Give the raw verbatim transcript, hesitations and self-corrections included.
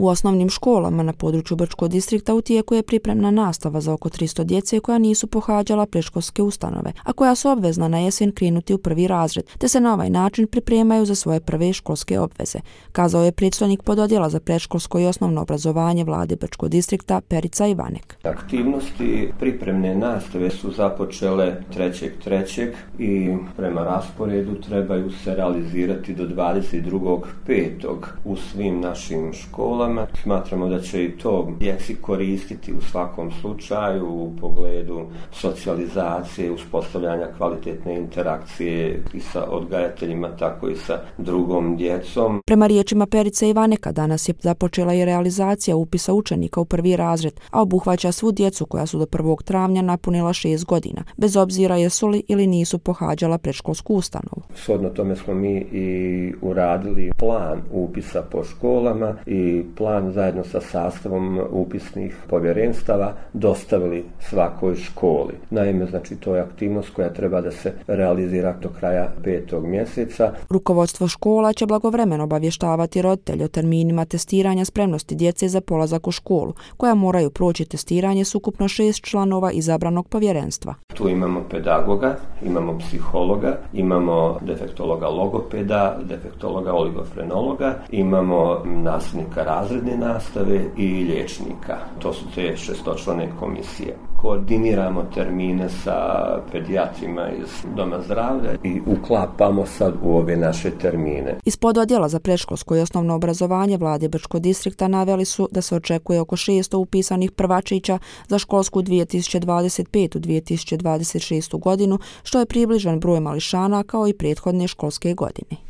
U osnovnim školama na području Brčkog distrikta u tijeku je pripremna nastava za oko tristo djece koja nisu pohađala predškolske ustanove, a koja su obvezna na jesen krenuti u prvi razred, te se na ovaj način pripremaju za svoje prve školske obveze, kazao je predstojnik pododjela za predškolsko i osnovno obrazovanje vlade Brčkog distrikta Perica Ivanek. Aktivnosti pripremne nastave su započele trećeg trećeg i prema rasporedu trebaju se realizirati do dvadeset drugog petog u svim našim školama. Smatramo da će i to djeci koristiti u svakom slučaju u pogledu socijalizacije, uspostavljanja kvalitetne interakcije i sa odgajateljima, tako i sa drugom djecom. Prema riječima Perice Ivaneka, danas je započela i realizacija upisa učenika u prvi razred, a obuhvaća svu djecu koja su do prvog travnja napunila šest godina, bez obzira jesu li ili nisu pohađala predškolsku ustanovu. Shodno tome smo mi i uradili plan upisa po školama i plan zajedno sa sastavom upisnih povjerenstava dostavili svakoj školi. Naime, znači to je aktivnost koja treba da se realizira do kraja petog mjeseca. Rukovodstvo škola će blagovremeno obavještavati roditelje o terminima testiranja spremnosti djece za polazak u školu, koja moraju proći testiranje s ukupno šest članova izabranog povjerenstva. Tu imamo pedagoga, imamo psihologa, imamo defektologa logopeda, defektologa oligofrenologa, imamo nastavnika razredne nastave i liječnika. To su te šestočlane komisije. Koordiniramo termine sa pedijatrima iz Doma zdravlja i uklapamo sad u ove naše termine. Iz pododjela za predškolsko i osnovno obrazovanje vlade Brčkog distrikta naveli su da se očekuje oko šesto upisanih prvačića za školsku dvije tisuće dvadeset petu dvije tisuće dvadeset šestu godinu, što je približan broj mališana kao i prethodne školske godine.